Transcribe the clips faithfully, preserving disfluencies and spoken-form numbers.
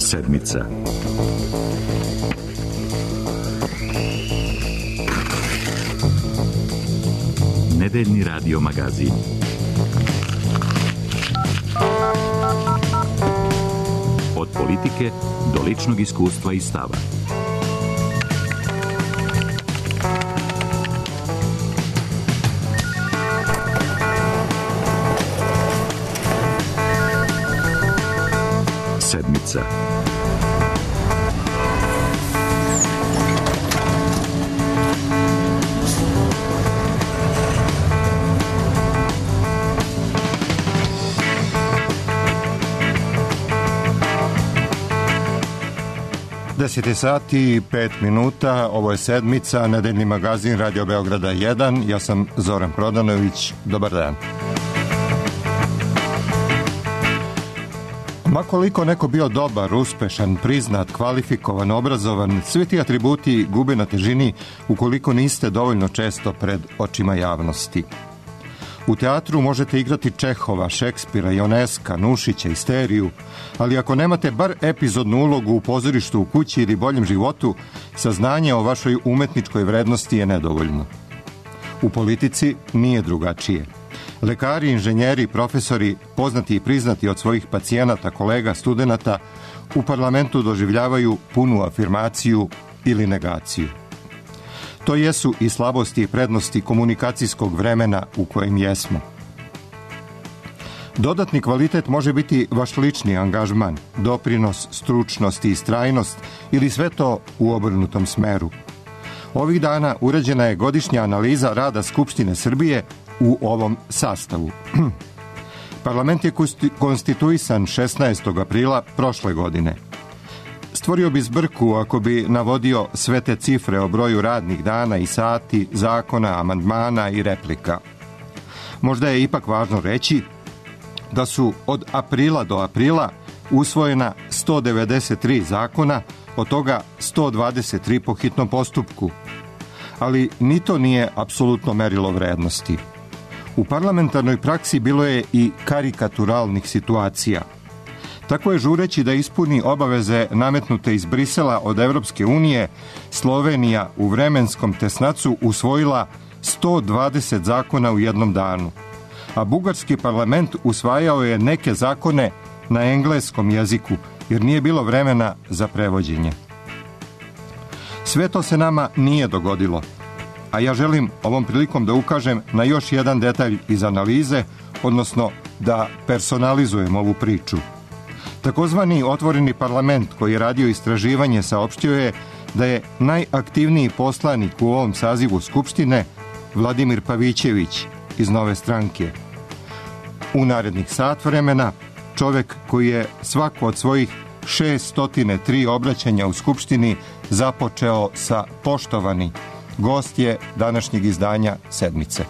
Sedmica. Nedeljni radio magazin. Od politike do ličnog iskustva i stava. Sedmica. deset je sati i pet minuta, ovo je Sedmica, nedeljni magazin Radio Beograda jedan, ja sam Zoran Prodanović, dobar dan. Ma koliko neko bio dobar, uspešan, priznat, kvalifikovan, obrazovan, svi ti atributi gube na težini ukoliko niste dovoljno često pred očima javnosti. U teatru možete igrati Čehova, Šekspira, Ioneska, Nušića, Isteriju, ali ako nemate bar epizodnu ulogu u pozorištu, u kući ili boljem životu, saznanje o vašoj umetničkoj vrednosti je nedovoljno. U politici nije drugačije. Lekari, inženjeri, profesori, poznati i priznati od svojih pacijenata, kolega, studenata, u parlamentu doživljavaju punu afirmaciju ili negaciju. To jesu i slabosti i prednosti komunikacijskog vremena u kojem jesmo. Dodatni kvalitet može biti vaš lični angažman, doprinos, stručnost i istrajnost ili sve to u obrnutom smeru. Ovih dana urađena je godišnja analiza rada Skupštine Srbije u ovom sastavu. Parlament je konstituisan šesnaestog aprila prošle godine. Stvorio bi zbrku ako bi navodio sve te cifre o broju radnih dana i sati, zakona, amandmana i replika. Možda je ipak važno reći da su od aprila do aprila usvojena sto devedeset tri zakona, od toga sto dvadeset tri po hitnom postupku. Ali ni to nije apsolutno merilo vrednosti. U parlamentarnoj praksi bilo je i karikaturalnih situacija. Tako je, žureći da ispuni obaveze nametnute iz Brisela od Evropske unije, Slovenija u vremenskom tesnacu usvojila sto dvadeset zakona u jednom danu, a bugarski parlament usvajao je neke zakone na engleskom jeziku, jer nije bilo vremena za prevođenje. Sve to se nama nije dogodilo, a ja želim ovom prilikom da ukažem na još jedan detalj iz analize, odnosno da personalizujem ovu priču. Takozvani otvoreni parlament koji je radio istraživanje saopštio je da je najaktivniji poslanik u ovom sazivu Skupštine Vladimir Pavićević iz Nove stranke. U narednih sat vremena čovek koji je svako od svojih šeststo tri obraćanja u Skupštini započeo sa poštovani, gost je današnjeg izdanja Sedmice.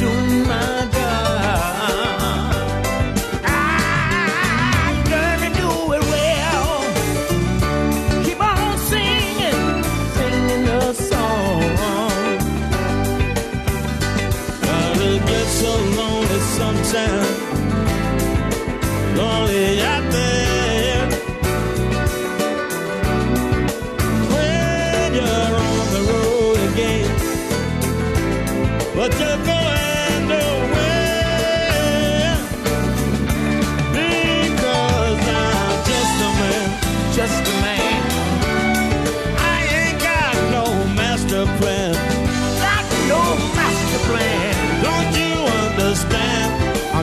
Doing my job. I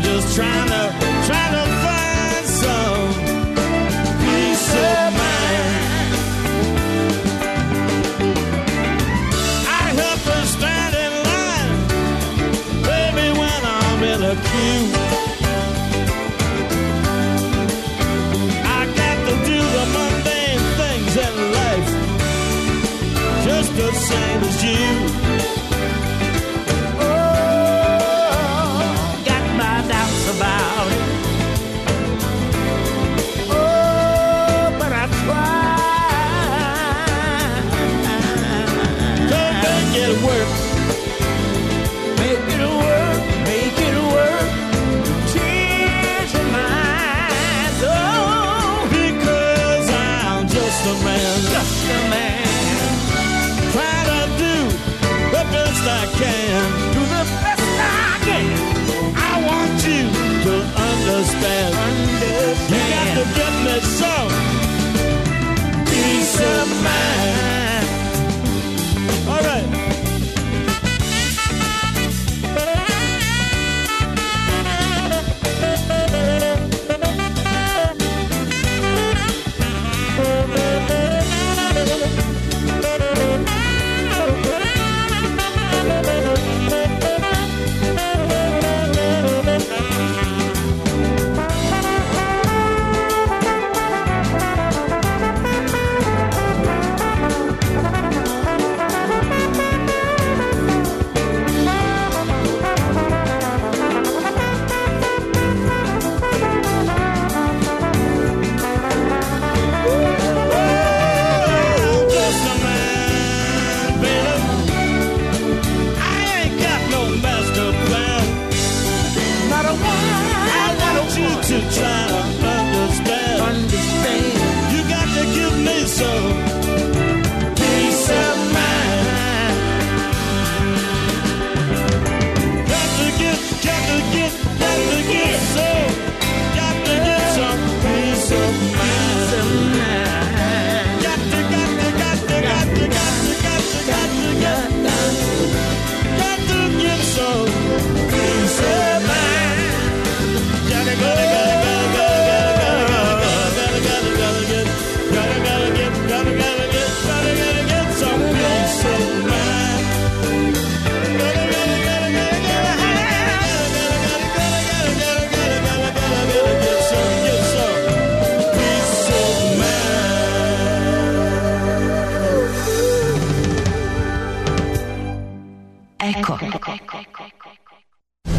just trying to, trying to find some peace of mind. I help her stand in line, baby, when I'm in a queue. I got to do the mundane things in life, just the same as you. About it. Oh, but I try. Don't make it work. Make it work. Make it work. Change your mind. Oh, because I'm just a man. Just a man. Try to do the best I can. Do the best I can. I want you to understand. understand. You got to get me some peace of mind. All right.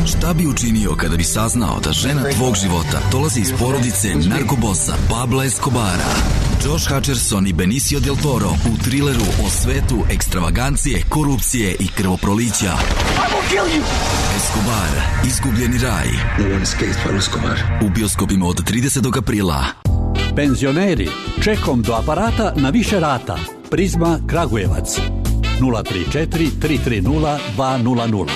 Šta bi učinio kada bi saznao da žena tvog života dolazi iz porodice narkobosa Pabla Escobara? Josh Hutcherson i Benicio del Toro u trileru o svetu ekstravagancije, korupcije i krvoprolića. Escobar, izgubljeni raj. U bioskopima od tridesetog aprila. Penzioneri, čekom do aparata na više rata. Prizma Kragujevac. nula tri četiri tri tri nula dva nula nula.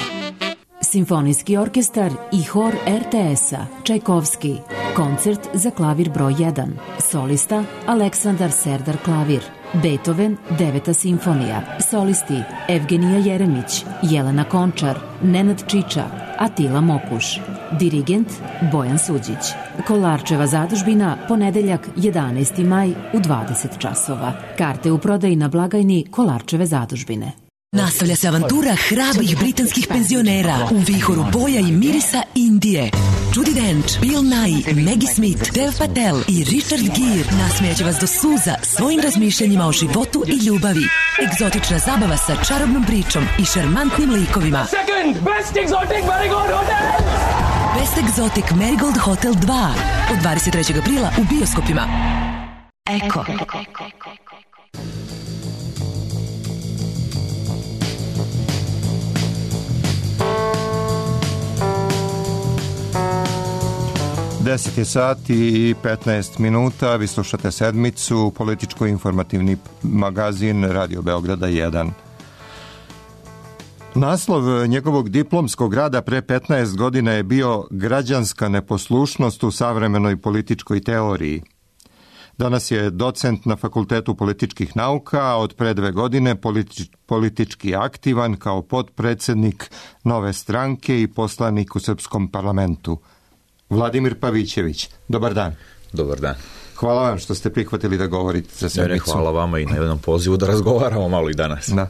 Simfonijski orkestar i hor er te es-a Čajkovski. Koncert za klavir broj jedan. Solista Aleksandar Serdar klavir. Beethoven, deveta simfonija. Solisti Evgenija Jeremić, Jelena Končar, Nenad Čiča, Atila Mokuš. Dirigent Bojan Suđić. Kolarčeva zadužbina, ponedeljak jedanaesti maj u dvadeset časova. Karte u prodaji na blagajni Kolarčeve zadužbine. Nastavlja se avantura hrabrih britanskih penzionera u vihoru boja i mirisa Indije. Judi Dench, Bill Nighy, Maggie Smith, Dev Patel i Richard Gere nasmejaće vas do suza svojim razmišljanjima o životu i ljubavi. Egzotična zabava sa čarobnom pričom i šarmantnim likovima. Second Best Exotic Marigold Hotel! Best Exotic Marigold Hotel dva od dvadeset trećeg aprila u bioskopima. Eko. deset je sati i petnaest minuta, vi slušate sedmicu, političko-informativni magazin Radio Beograda jedan. Naslov njegovog diplomskog rada pre petnaest godina je bio Građanska neposlušnost u savremenoj političkoj teoriji. Danas je docent na Fakultetu političkih nauka, a od pre dve godine politi- politički aktivan kao potpredsednik Nove stranke i poslanik u Srpskom parlamentu. Vladimir Pavićević. Dobar dan. Dobar dan. Hvala vam što ste prihvatili da govorite za sedmicu. Hvala vama i na jednom pozivu da razgovaramo malo i danas. Da.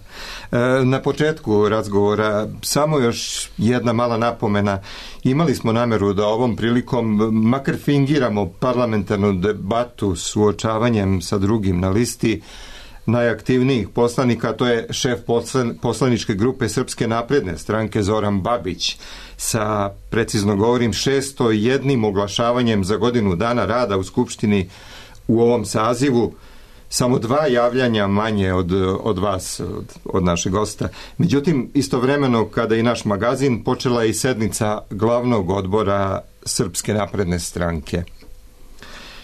E, na početku razgovora samo još jedna mala napomena. Imali smo nameru da ovom prilikom makar fingiramo parlamentarnu debatu s uočavanjem sa drugim na listi najaktivnijih poslanika, to je šef poslaničke grupe Srpske napredne stranke Zoran Babić sa, precizno govorim, šesto jednim oglašavanjem za godinu dana rada u Skupštini u ovom sazivu, samo dva javljanja manje od, od vas, od, od našeg gosta. Međutim, istovremeno kada i naš magazin, počela je i sednica glavnog odbora Srpske napredne stranke.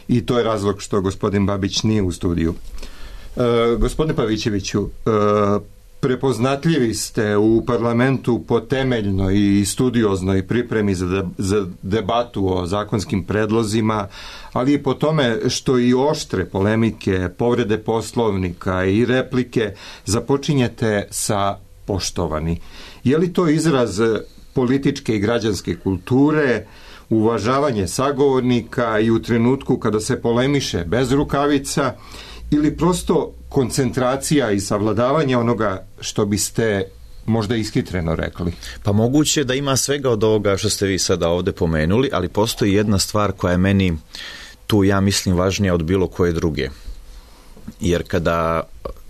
I to je razlog što gospodin Babić nije u studiju. E, gospodine Pavićeviću, e, prepoznatljivi ste u parlamentu po temeljnoj i studioznoj pripremi za, de, za debatu o zakonskim predlozima, ali i po tome što i oštre polemike, povrede poslovnika i replike započinjete sa poštovani. Je li to izraz političke i građanske kulture, uvažavanje sagovornika i u trenutku kada se polemiše bez rukavica, ili prosto koncentracija i savladavanje onoga što biste možda ishitreno rekli? Pa moguće da ima svega od ovoga što ste vi sada ovdje pomenuli, ali postoji jedna stvar koja je meni tu, ja mislim, važnija od bilo koje druge. Jer kada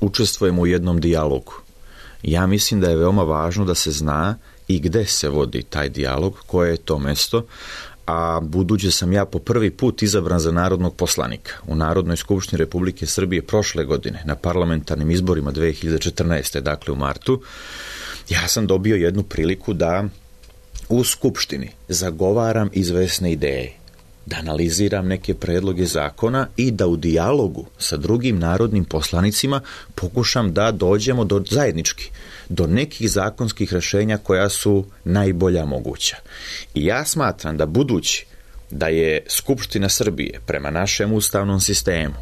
učestvujemo u jednom dijalogu, ja mislim da je veoma važno da se zna i gde se vodi taj dijalog, koje je to mesto, a budući sam ja po prvi put izabran za narodnog poslanika u Narodnoj skupštini Republike Srbije prošle godine na parlamentarnim izborima dve hiljade četrnaeste. dakle u martu, ja sam dobio jednu priliku da u skupštini zagovaram izvesne ideje, da analiziram neke predloge zakona i da u dijalogu sa drugim narodnim poslanicima pokušam da dođemo do zajednički do nekih zakonskih rješenja koja su najbolja moguća. I ja smatram da budući da je Skupština Srbije prema našem ustavnom sistemu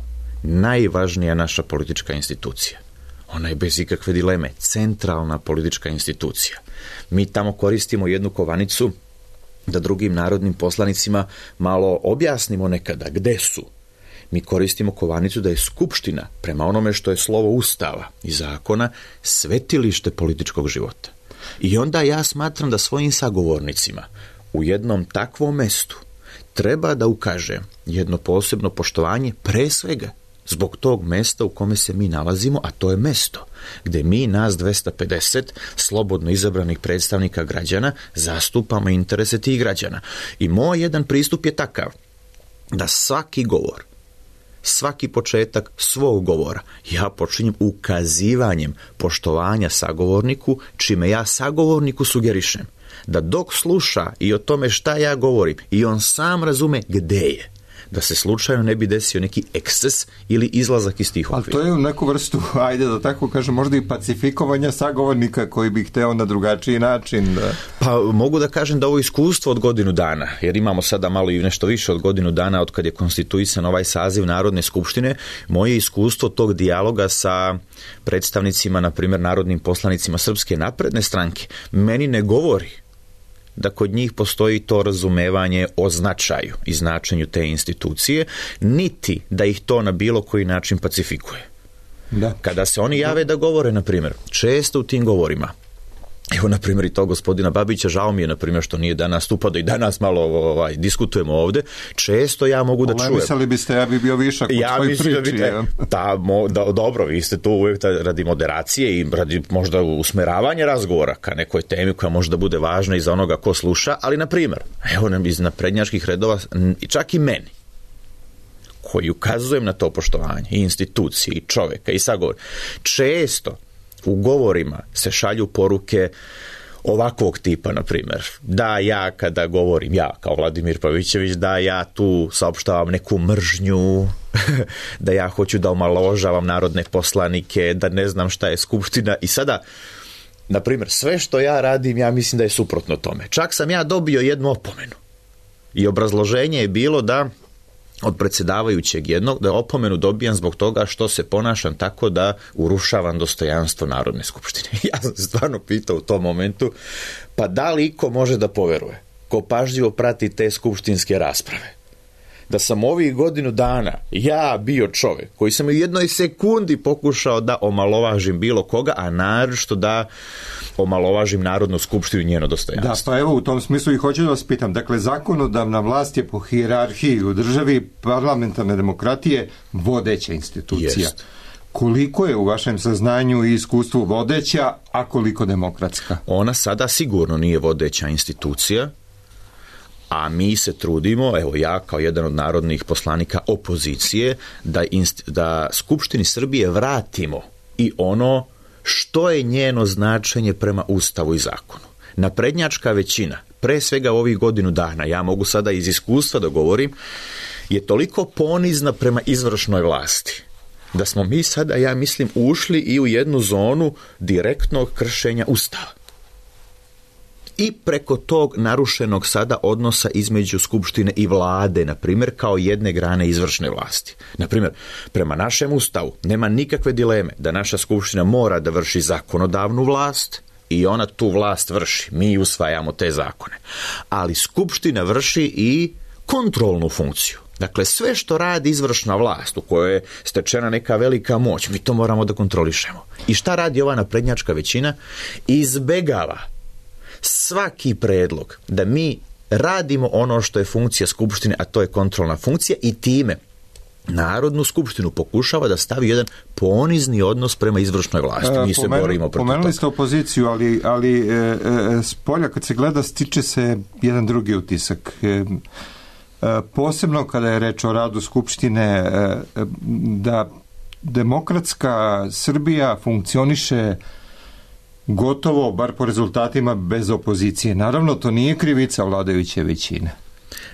najvažnija naša politička institucija, ona je bez ikakve dileme centralna politička institucija. Mi tamo koristimo jednu kovanicu da drugim narodnim poslanicima malo objasnimo nekada gde su. Mi koristimo kovanicu da je Skupština, prema onome što je slovo Ustava i zakona, svetilište političkog života. I onda ja smatram da svojim sagovornicima u jednom takvom mestu treba da ukaže jedno posebno poštovanje, pre svega zbog tog mesta u kome se mi nalazimo, a to je mesto gde mi, nas dvesta pedeset slobodno izabranih predstavnika građana, zastupamo interese tih građana. I moj jedan pristup je takav da svaki govor, svaki početak svog govora ja počinjem ukazivanjem poštovanja sagovorniku, čime ja sagovorniku sugerišem da dok sluša i o tome šta ja govorim i on sam razume gde je, da se slučajno ne bi desio neki eksces ili izlazak iz tih okvira. Ali to je u neku vrstu, ajde da tako kažem, možda i pacifikovanja sagovornika koji bi hteo na drugačiji način. Da... Pa mogu da kažem da ovo iskustvo od godinu dana, jer imamo sada malo i nešto više od godinu dana od kad je konstituisan ovaj saziv Narodne skupštine, moje iskustvo tog dijaloga sa predstavnicima, na primjer narodnim poslanicima Srpske napredne stranke, meni ne govori da kod njih postoji to razumevanje o značaju i značenju te institucije, niti da ih to na bilo koji način pacifikuje. Da. Kada se oni jave da govore, na primjer, često u tim govorima, evo, na primjer, i to gospodina Babića, žao mi je, na primjer, što nije danas stupao, da i danas malo ovaj, diskutujemo ovdje, često ja mogu da čujem. Mislili biste, ja bi bio višak ja u tvoj priči. Da, da, mo, da, dobro, vi ste tu uvijek radi moderacije i radi možda usmeravanja razgovora ka nekoj temi koja možda bude važna i za onoga ko sluša, ali, na primjer, evo nam iz naprednjačkih redova, čak i meni, koji ukazujem na to poštovanje i institucije i čoveka i sagovor, često u govorima se šalju poruke ovakvog tipa, na primjer, da ja kada govorim, ja kao Vladimir Pavićević, da ja tu saopštavam neku mržnju, da ja hoću da omalovažavam narodne poslanike, da ne znam šta je Skupština. I sada, na primjer, sve što ja radim, ja mislim da je suprotno tome. Čak sam ja dobio jednu opomenu. I obrazloženje je bilo da od predsjedavajućeg jednog, da opomenu dobijam zbog toga što se ponašam tako da urušavam dostojanstvo Narodne skupštine. Ja sam stvarno pitao u tom momentu, pa da li iko može da poveruje ko pažljivo prati te skupštinske rasprave, da sam ovih godinu dana ja bio čovjek koji sam u jednoj sekundi pokušao da omalovažim bilo koga, a naročito da omalovažim Narodnu skupštinu i njeno dostojanstvo. Da, pa evo u tom smislu i hoću da vas pitam. Dakle, zakonodavna vlast je po hijerarhiji u državi parlamentarne demokratije vodeća institucija. Jest. Koliko je u vašem saznanju i iskustvu vodeća, a koliko demokratska? Ona sada sigurno nije vodeća institucija, a mi se trudimo, evo ja kao jedan od narodnih poslanika opozicije, da, inst, da Skupštini Srbije vratimo i ono što je njeno značenje prema Ustavu i zakonu. Naprednjačka većina, pre svega ovih godinu dana, ja mogu sada iz iskustva da govorim, je toliko ponizna prema izvršnoj vlasti, da smo mi sada, ja mislim, ušli i u jednu zonu direktnog kršenja Ustava. I preko tog narušenog sada odnosa između Skupštine i vlade, na primjer, kao jedne grane izvršne vlasti. Na primjer, prema našem Ustavu nema nikakve dileme da naša Skupština mora da vrši zakonodavnu vlast i ona tu vlast vrši. Mi usvajamo te zakone. Ali Skupština vrši i kontrolnu funkciju. Dakle, sve što radi izvršna vlast, u kojoj je stečena neka velika moć, mi to moramo da kontrolišemo. I šta radi ova naprednjačka većina? Izbegava svaki predlog da mi radimo ono što je funkcija Skupštine, a to je kontrolna funkcija, i time Narodnu skupštinu pokušava da stavi jedan ponizni odnos prema izvršnoj vlasti. Mi se Pomenu, borimo protiv Pomenuli toga. ste opoziciju, ali, ali e, e, s polja kad se gleda stiče se jedan drugi utisak. E, e, posebno kada je reč o radu Skupštine, e, da demokratska Srbija funkcioniše gotovo, bar po rezultatima, bez opozicije. Naravno, to nije krivica vladajuće većine.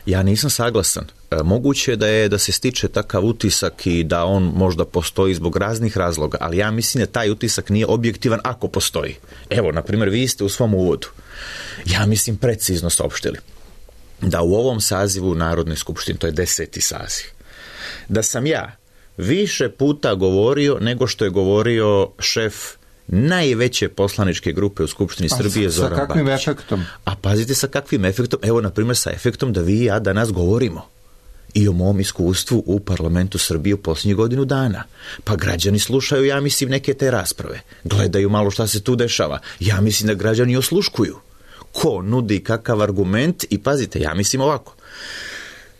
Ja nisam saglasan. E, moguće je da je da se stiče takav utisak i da on možda postoji zbog raznih razloga, ali ja mislim da taj utisak nije objektivan ako postoji. Evo, na primjer, vi ste u svom uvodu, ja mislim, precizno saopštili da u ovom sazivu Narodne skupštine, to je deseti saziv, da sam ja više puta govorio nego što je govorio šef najveće poslaničke grupe u Skupštini A Srbije, sa, Zoran sa kakvim Babić. efektom? A pazite sa kakvim efektom, evo na primjer sa efektom da vi i ja danas govorimo i o mom iskustvu u parlamentu Srbije u posljednjih godinu dana. Pa građani slušaju, ja mislim, neke te rasprave, gledaju malo šta se tu dešava. Ja mislim da građani osluškuju ko nudi kakav argument i pazite, ja mislim ovako.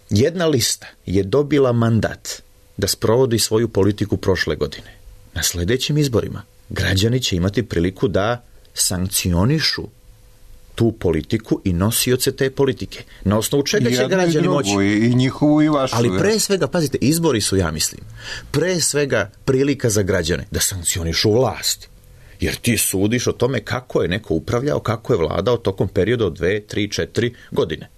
Jedna lista je dobila mandat da sprovodi svoju politiku prošle godine. Na sljedećim izborima građani će imati priliku da sankcionišu tu politiku i nosioce te politike. Na osnovu čega će građani moći? I njihovu i vašu. Ali pre svega, pazite, izbori su, ja mislim, pre svega prilika za građane da sankcionišu vlast. Jer ti sudiš o tome kako je neko upravljao, kako je vladao tokom perioda od dve, tri, četiri godine.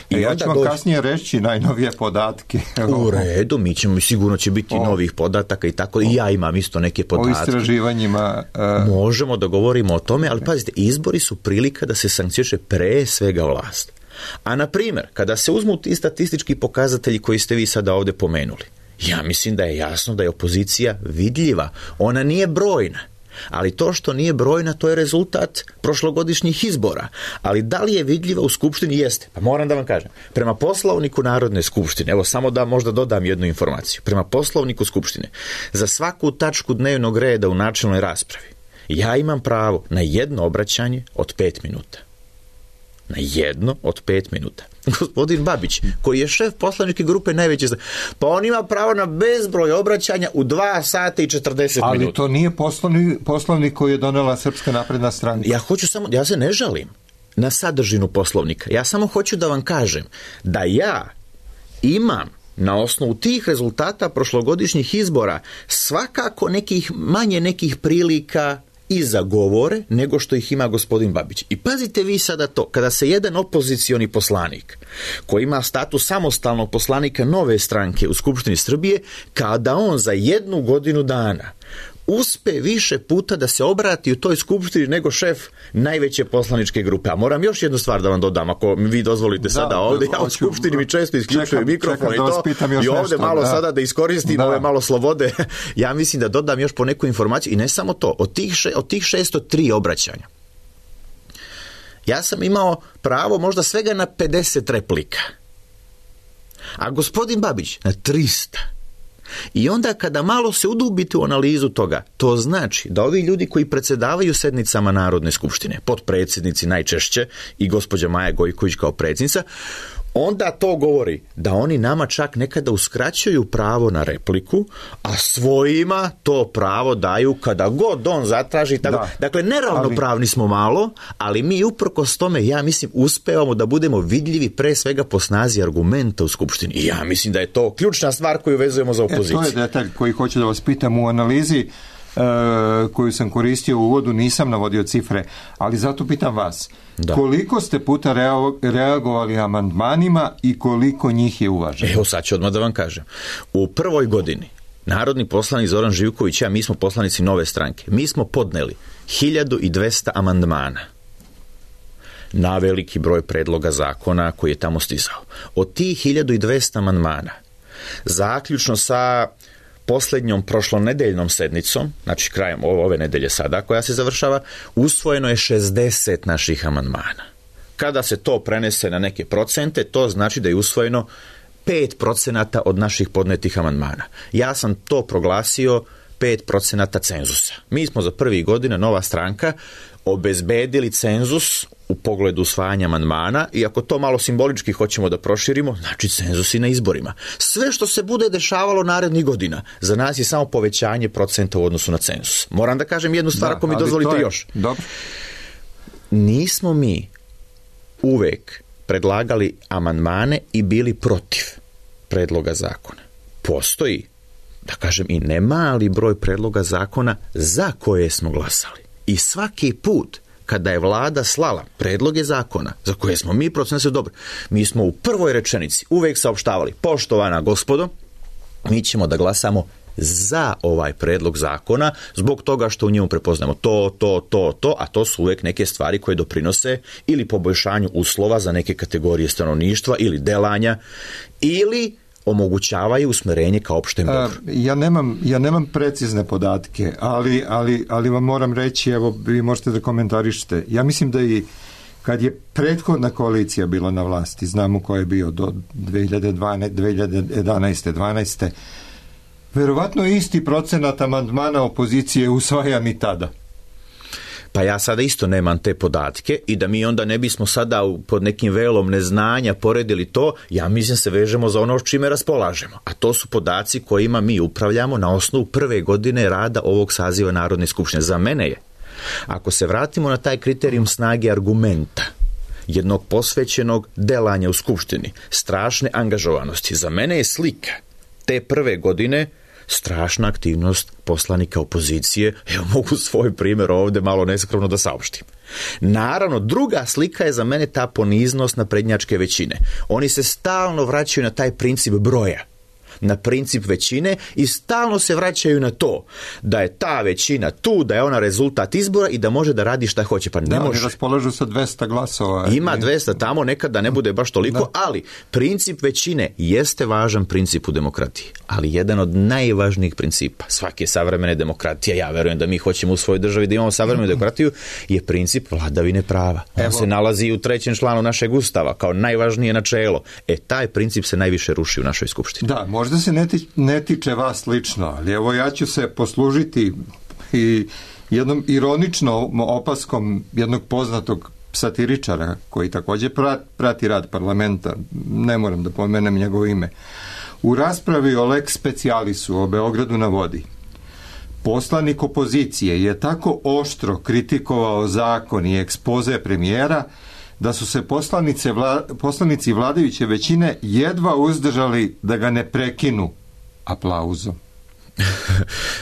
I ja ću vam dođe... kasnije reći najnovije podatke. U redu, mi ćemo, sigurno će biti o, novih podataka i tako, o, i ja imam isto neke podatke. O istraživanjima. Uh... Možemo da govorimo o tome, ali pazite, izbori su prilika da se sankcioniše pre svega vlast. A na primjer, kada se uzmu ti statistički pokazatelji koji ste vi sada ovdje pomenuli, ja mislim da je jasno da je opozicija vidljiva. Ona nije brojna. Ali to što nije brojna, to je rezultat prošlogodišnjih izbora. Ali da li je vidljiva u Skupštini? Jeste. Pa moram da vam kažem. Prema Poslovniku Narodne skupštine, evo samo da možda dodam jednu informaciju. Prema Poslovniku Skupštine, za svaku tačku dnevnog reda u načelnoj raspravi, ja imam pravo na jedno obraćanje od pet minuta. Na jedno od pet minuta. Gospodin Babić, koji je šef poslaničke grupe najveće, pa on ima pravo na bezbroj obraćanja u dva sata i četrdeset ali minuta. Ali to nije poslovnik, poslovnik koji je donela Srpska napredna stranka. Ja hoću samo, ja se ne žalim na sadržinu poslovnika. Ja samo hoću da vam kažem da ja imam na osnovu tih rezultata prošlogodišnjih izbora svakako nekih, manje nekih prilika i za govore nego što ih ima gospodin Babić. I pazite vi sada to, kada se jedan opozicioni poslanik koji ima status samostalnog poslanika nove stranke u Skupštini Srbije, kada on za jednu godinu dana uspe više puta da se obrati u toj skupštini nego šef najveće poslaničke grupe. A moram još jednu stvar da vam dodam, ako mi vi dozvolite da, sada ovdje, ja u skupštini mi često isključujem mikrofon i to, i ovdje nešto, malo da. sada da iskoristim da. ove malo slobode, ja mislim da dodam još po neku informaciju i ne samo to, od tih, še, od tih šesto tri obraćanja, Ja sam imao pravo možda svega na pedeset replika. A gospodin Babić na trista. I onda kada malo se udubite u analizu toga, to znači da ovi ljudi koji predsjedavaju sednicama Narodne skupštine, potpredsjednici najčešće i gospođa Maja Gojković kao predsjednica, onda to govori da oni nama čak nekada uskraćuju pravo na repliku, a svojima to pravo daju kada god on zatraži. Tako. Da. Dakle, neravnopravni ali... smo malo, ali mi uprkos tome, ja mislim, uspevamo da budemo vidljivi pre svega po snazi argumenta u Skupštini. I ja mislim da je to ključna stvar koju vezujemo za opoziciju. E, to je detalj koji hoću da vas pitam u analizi koju sam koristio u uvodu, nisam navodio cifre, ali zato pitam vas, da. Koliko ste puta reagovali amandmanima i koliko njih je uvaženo? Evo sad ću odmah da vam kažem. U prvoj godini narodni poslanik Zoran Živković, ja, mi smo poslanici Nove stranke, mi smo podneli hiljadu dvesta amandmana na veliki broj predloga zakona koji je tamo stizao. Od tih hiljadu dvesta amandmana, zaključno sa posljednjom prošlonedeljnom sednicom, znači krajem ove nedelje sada koja se završava, usvojeno je šezdeset naših amandmana. Kada se to prenese na neke procente, to znači da je usvojeno pet procenata od naših podnetih amandmana. Ja sam to proglasio pet procenata cenzusa. Mi smo za prvih godina, Nova stranka, obezbedili cenzus u pogledu usvajanja amandmana i ako to malo simbolički hoćemo da proširimo, znači cenzusi na izborima. Sve što se bude dešavalo narednih godina, za nas je samo povećanje procenta u odnosu na cenzus. Moram da kažem jednu stvar, da, ako mi dozvolite je... još. Dobro. Nismo mi uvek predlagali amandmane i bili protiv predloga zakona. Postoji, da kažem, i nemali broj predloga zakona za koje smo glasali. I svaki put kada je vlada slala predloge zakona za koje smo mi procenili dobro, mi smo u prvoj rečenici uvek saopštavali: poštovana gospodo, mi ćemo da glasamo za ovaj predlog zakona zbog toga što u njemu prepoznamo to, to, to, to, a to su uvek neke stvari koje doprinose ili poboljšanju uslova za neke kategorije stanovništva ili delanja ili omogućavaju usmerenje ka opštem dobru. Ja nemam, ja nemam precizne podatke, ali, ali, ali vam moram reći, evo, vi možete da komentarišete. Ja mislim da i kad je prethodna koalicija bila na vlasti, znamo ko je bio do dve hiljade jedanaeste dvanaeste verovatno isti procenat amandmana opozicije usvajan i tada. Pa ja sada isto nemam te podatke i da mi onda ne bismo sada pod nekim velom neznanja poredili to, ja mislim se vežemo za ono s čime raspolažemo. A to su podaci kojima mi upravljamo na osnovu prve godine rada ovog saziva Narodne skupštine. Za mene je, ako se vratimo na taj kriterijum snage argumenta, jednog posvećenog delanja u skupštini, strašne angažovanosti, za mene je slika te prve godine strašna aktivnost poslanika opozicije. Evo, mogu svoj primjer ovdje malo neskromno da saopštim. Naravno, druga slika je za mene ta poniznost naprednjačke većine. Oni se stalno vraćaju na taj princip broja, na princip većine i stalno se vraćaju na to da je ta većina tu, da je ona rezultat izbora i da može da radi šta hoće. Pa ne da, može. Oni raspolažu sa dvesta glasova. Ima dvesta tamo, nekad da ne bude baš toliko, da. Ali princip većine jeste važan princip u demokratiji, ali jedan od najvažnijih principa svake savremene demokratije, ja verujem da mi hoćemo u svojoj državi da imamo savremenu demokratiju, je princip vladavine prava. On Evo. se nalazi u trećem članu našeg ustava kao najvažnije načelo. E, taj princip se najviše ruši u našoj skupštini. Da, možda se ne, ti, ne tiče vas lično, ali evo ja ću se poslužiti i jednom ironičnom opaskom jednog poznatog satiričara koji također prati rad parlamenta, ne moram da pomenem njegovo ime. U raspravi o lex specialisu o Beogradu na vodi, poslanik opozicije je tako oštro kritikovao zakon i ekspoze premijera da su se poslanice vla, poslanici vladajuće većine jedva uzdržali da ga ne prekinu aplauzom.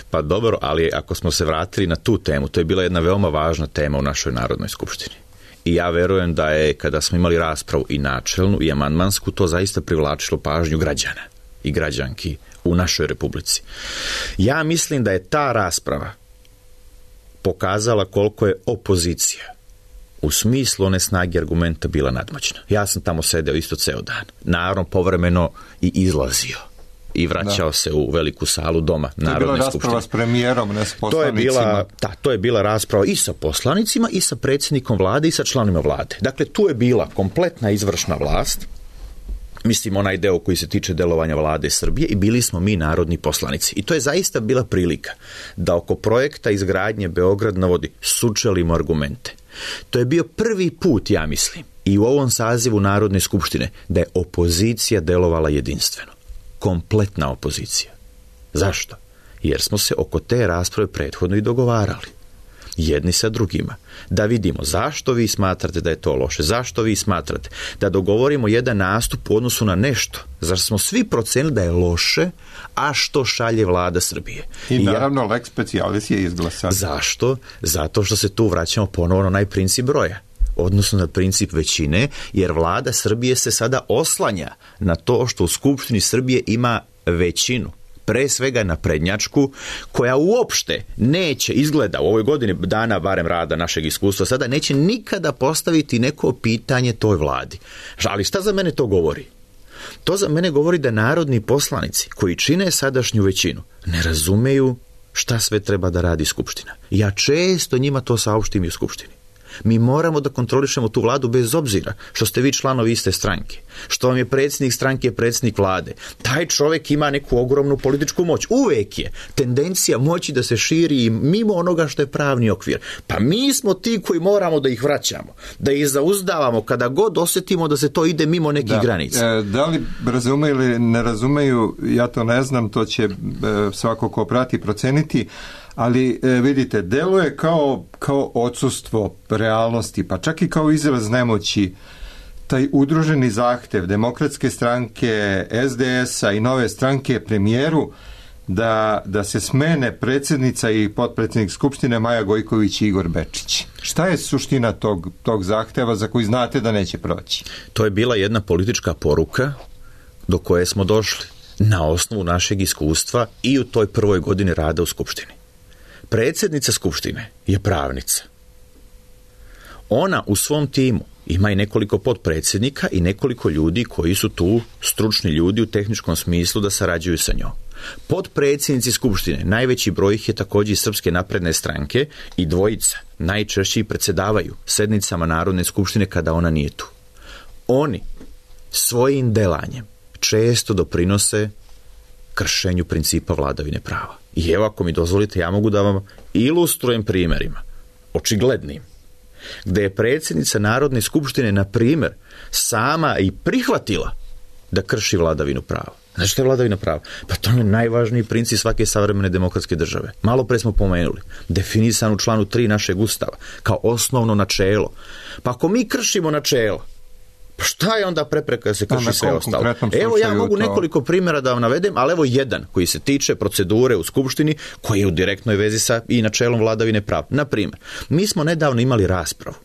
Pa dobro, ali ako smo se vratili na tu temu, to je bila jedna veoma važna tema u našoj Narodnoj skupštini. I ja verujem da je, kada smo imali raspravu i načelnu i amandmansku, to zaista privlačilo pažnju građana i građanki u našoj Republici. Ja mislim da je ta rasprava pokazala koliko je opozicija u smislu one snage argumenta bila nadmoćna. Ja sam tamo sedeo isto ceo dan. Naravno, povremeno i izlazio i vraćao da. se u veliku salu doma Narodne skupštine. To je bila rasprava s premijerom, ne s poslanicima. To je bila, da, to je bila rasprava i sa poslanicima i sa predsjednikom vlade i sa članovima vlade. Dakle, tu je bila kompletna izvršna vlast, mislim onaj deo koji se tiče delovanja vlade Srbije, i bili smo mi narodni poslanici. I to je zaista bila prilika da oko projekta izgradnje Beograd na vodi sučelimo argumente. To je bio prvi put, ja mislim, i u ovom sazivu Narodne skupštine, da je opozicija delovala jedinstveno. Kompletna opozicija. Zašto? Jer smo se oko te rasprave prethodno i dogovarali. Jedni sa drugima. Da vidimo zašto vi smatrate da je to loše, zašto vi smatrate da dogovorimo jedan nastup u odnosu na nešto, zašto smo svi procenili da je loše, a što šalje vlada Srbije. I naravno ja, lex specialis je izglasan. Zašto? Zato što se tu vraćamo ponovno na onaj princip broja, odnosno na princip većine, jer vlada Srbije se sada oslanja na to što u Skupštini Srbije ima većinu, pre svega naprednjačku, koja uopšte neće, izgleda u ovoj godini dana barem rada našeg iskustva sada, neće nikada postaviti neko pitanje toj vladi. Ali šta za mene to govori? To za mene govori da narodni poslanici koji čine sadašnju većinu ne razumeju šta sve treba da radi Skupština. Ja često njima to saopštim i u Skupštini. Mi moramo da kontrolišemo tu vladu bez obzira što ste vi članovi iste stranke, što vam je predsjednik stranke predsjednik vlade. Taj čovjek ima neku ogromnu političku moć. Uvijek je tendencija moći da se širi mimo onoga što je pravni okvir. Pa mi smo ti koji moramo da ih vraćamo, da ih zauzdavamo kada god osjetimo da se to ide mimo nekih da. granica. E, da li razumeju ili ne razumeju, ja to ne znam, to će e, svako ko prati proceniti. Ali e, vidite, deluje kao, kao odsustvo realnosti, pa čak i kao izraz nemoći, taj udruženi zahtev Demokratske stranke, es de es-a i Nove stranke premijeru da, da se smene predsjednica i potpredsjednik Skupštine Maja Gojković i Igor Bečić. Šta je suština tog, tog zahteva za koji znate da neće proći? To je bila jedna politička poruka do koje smo došli na osnovu našeg iskustva i u toj prvoj godini rada u Skupštini. Predsjednica Skupštine je pravnica. Ona u svom timu ima i nekoliko potpredsjednika i nekoliko ljudi koji su tu stručni ljudi u tehničkom smislu da sarađuju sa njom. Potpredsjednici Skupštine, najveći broj ih je također iz Srpske napredne stranke i dvojica najčešće predsjedavaju sednicama Narodne skupštine kada ona nije tu. Oni svojim delanjem često doprinose kršenju principa vladavine prava. I evo, ako mi dozvolite, ja mogu da vam ilustrujem primjerima, očiglednim, gdje je predsjednica Narodne skupštine, na primjer, sama i prihvatila da krši vladavinu prava. Znači što je vladavina prava? Pa to je najvažniji princip svake savremene demokratske države. Malo pre smo pomenuli, definisan u članu tri našeg Ustava, kao osnovno načelo. Pa ako mi kršimo načelo, pa šta je onda prepreka da se krši sve ostalo? Evo, ja mogu nekoliko primjera da vam navedem, ali evo jedan koji se tiče procedure u Skupštini, koji je u direktnoj vezi sa i načelom vladavine prava. Na primjer, mi smo nedavno imali raspravu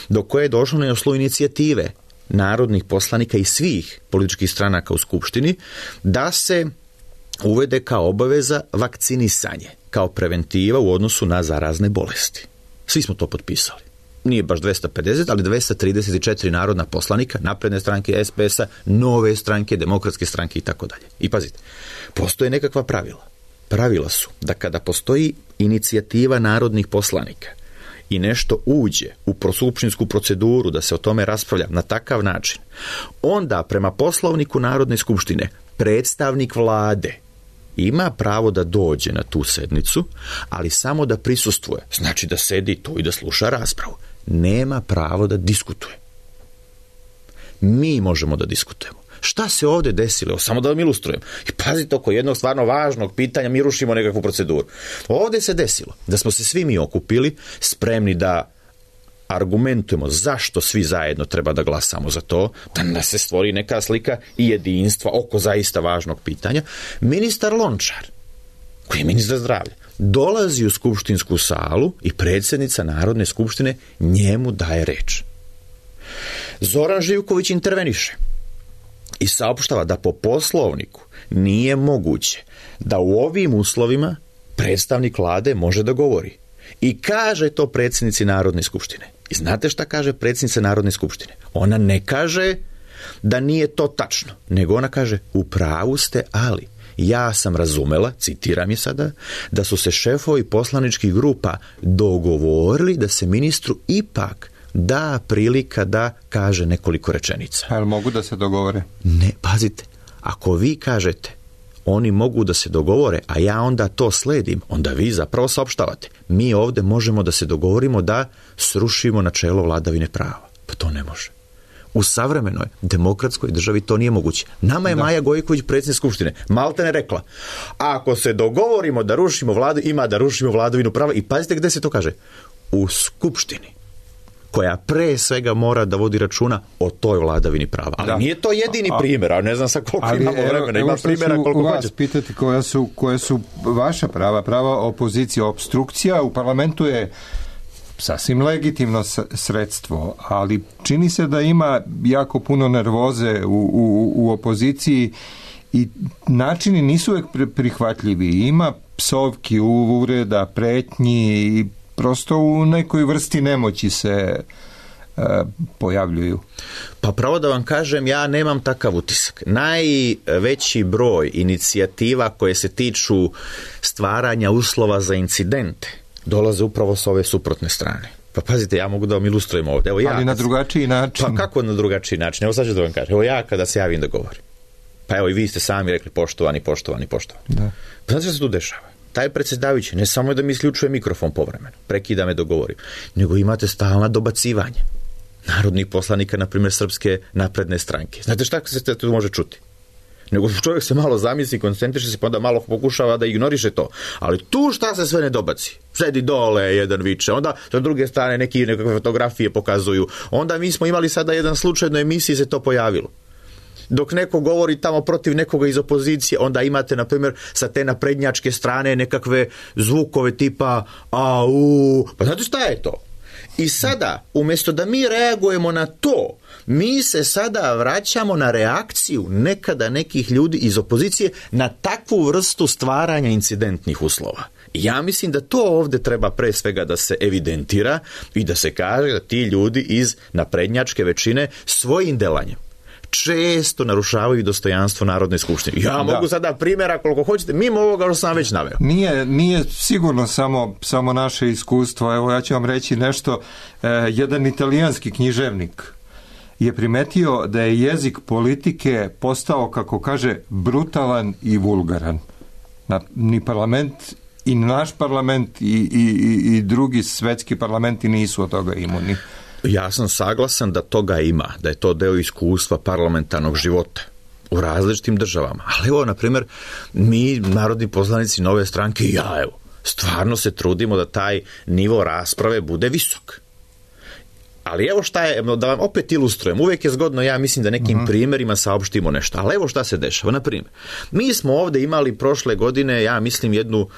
do koje je došlo na osnovu inicijative narodnih poslanika i svih političkih stranaka u Skupštini da se uvede kao obaveza vakcinisanje, kao preventiva u odnosu na zarazne bolesti. Svi smo to potpisali. Nije baš dvesta pedeset, ali dvesta trideset četiri narodna poslanika, napredne stranke, es pe es-a, Nove stranke, Demokratske stranke i tako dalje. I pazite, postoje nekakva pravila. Pravila su da kada postoji inicijativa narodnih poslanika i nešto uđe u skupštinsku proceduru da se o tome raspravlja na takav način, onda prema Poslovniku Narodne skupštine predstavnik vlade ima pravo da dođe na tu sednicu, ali samo da prisustvuje. Znači da sedi tu i da sluša raspravu. Nema pravo da diskutuje. Mi možemo da diskutujemo. Šta se ovdje desilo? Samo da vam ilustrujem. I pazite, oko jednog stvarno važnog pitanja mi rušimo nekakvu proceduru. Ovdje se desilo da smo se svi mi okupili, spremni da argumentujemo zašto svi zajedno treba da glasamo za to, da se stvori neka slika i jedinstva oko zaista važnog pitanja. Ministar Lončar, koji je ministar zdravlja, dolazi u skupštinsku salu i predsjednica Narodne skupštine njemu daje reč. Zoran Živković interveniše i saopštava da po Poslovniku nije moguće da u ovim uslovima predstavnik vlade može da govori. I kaže to predsjednici Narodne skupštine. I znate šta kaže predsjednica Narodne skupštine? Ona ne kaže da nije to tačno, nego ona kaže, u pravu ste, ali ja sam razumela, citiram je sada, da su se šefovi poslaničkih grupa dogovorili da se ministru ipak da prilika da kaže nekoliko rečenica. Ali mogu da se dogovore? Ne, pazite, ako vi kažete oni mogu da se dogovore, a ja onda to sledim, onda vi zapravo saopštavate. Mi ovde možemo da se dogovorimo da srušimo načelo vladavine prava. Pa to ne može. U savremenoj demokratskoj državi to nije moguće. Nama je da. Maja Gojković, predsjednik Skupštine, maltene rekla, ako se dogovorimo da rušimo vladu, ima da rušimo vladavinu prava. I pazite gde se to kaže. U Skupštini, koja pre svega mora da vodi računa o toj vladavini prava. Ali da. Nije to jedini primjer, a ne znam sa koliko ali, imamo vremena. Ima primjera koliko hoćete. Vas pitati koja su, koje su vaša prava, prava opozicije. Obstrukcija u parlamentu je sasvim legitimno sredstvo, ali čini se da ima jako puno nervoze u, u, u opoziciji i načini nisu uvek prihvatljivi. Ima psovki, uvreda, pretnji i prosto u nekoj vrsti nemoći se uh, pojavljuju. Pa pravo da vam kažem, ja nemam takav utisak. Najveći broj inicijativa koje se tiču stvaranja uslova za incidente dolaze upravo s ove suprotne strane. Pa pazite, ja mogu da vam ilustrujem ovdje. Evo ja, ali na drugačiji način. Pa kako na drugačiji način? Evo sad ću da vam kažem. Evo ja kada se javim da govorim. Pa evo i vi ste sami rekli poštovani, poštovani, poštovani. Da. Pa znate što se tu dešava? Taj predsjedavajući ne samo da mi isključuje mikrofon povremeno, prekida me dogovorim, nego imate stalna dobacivanja narodnih poslanika, na primjer Srpske napredne stranke. Znate šta se tu može čuti? Nego čovjek se malo zamisli, koncentriše se, pa onda malo pokušava da ignoriše to. Ali tu šta se sve ne dobaci? Sedi dole, jedan viče, onda sa druge strane neki nekakve fotografije pokazuju. Onda mi smo imali sada jedan slučaj na emisiji se to pojavilo. Dok neko govori tamo protiv nekoga iz opozicije, onda imate, na primjer, sa te naprednjačke strane nekakve zvukove tipa au, pa znate šta je to? I sada, umjesto da mi reagujemo na to, mi se sada vraćamo na reakciju nekada nekih ljudi iz opozicije na takvu vrstu stvaranja incidentnih uslova. I ja mislim da to ovdje treba pre svega da se evidentira i da se kaže da ti ljudi iz naprednjačke većine svojim delanjem često narušavaju dostojanstvo Narodne skupštine. Ja da. mogu sada primjera koliko hoćete, mimo ovoga što sam već naveo. Nije, nije sigurno samo, samo naše iskustvo. Evo ja ću vam reći nešto. E, jedan italijanski književnik je primetio da je jezik politike postao, kako kaže, brutalan i vulgaran. Na, ni parlament i naš parlament i, i, i, i drugi svetski parlamenti nisu od toga imuni. Ja sam saglasan da toga ima, da je to deo iskustva parlamentarnog života u različitim državama. Ali evo, na primjer, mi, narodni poslanici Nove stranke, i ja, evo, stvarno se trudimo da taj nivo rasprave bude visok. Ali evo šta je, da vam opet ilustrujem, uvijek je zgodno, ja mislim da nekim uh-huh. primjerima saopštimo nešto, ali evo šta se dešava. Na primjer, mi smo ovdje imali prošle godine, ja mislim, jednu,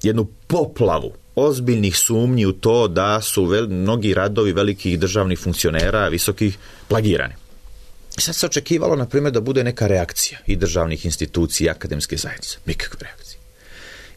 jednu poplavu ozbiljnih sumnji u to da su vel, mnogi radovi velikih državnih funkcionera visokih plagirani. I sad se očekivalo, na primjer, da bude neka reakcija i državnih institucija i akademske zajednice. Nikakve reakcije.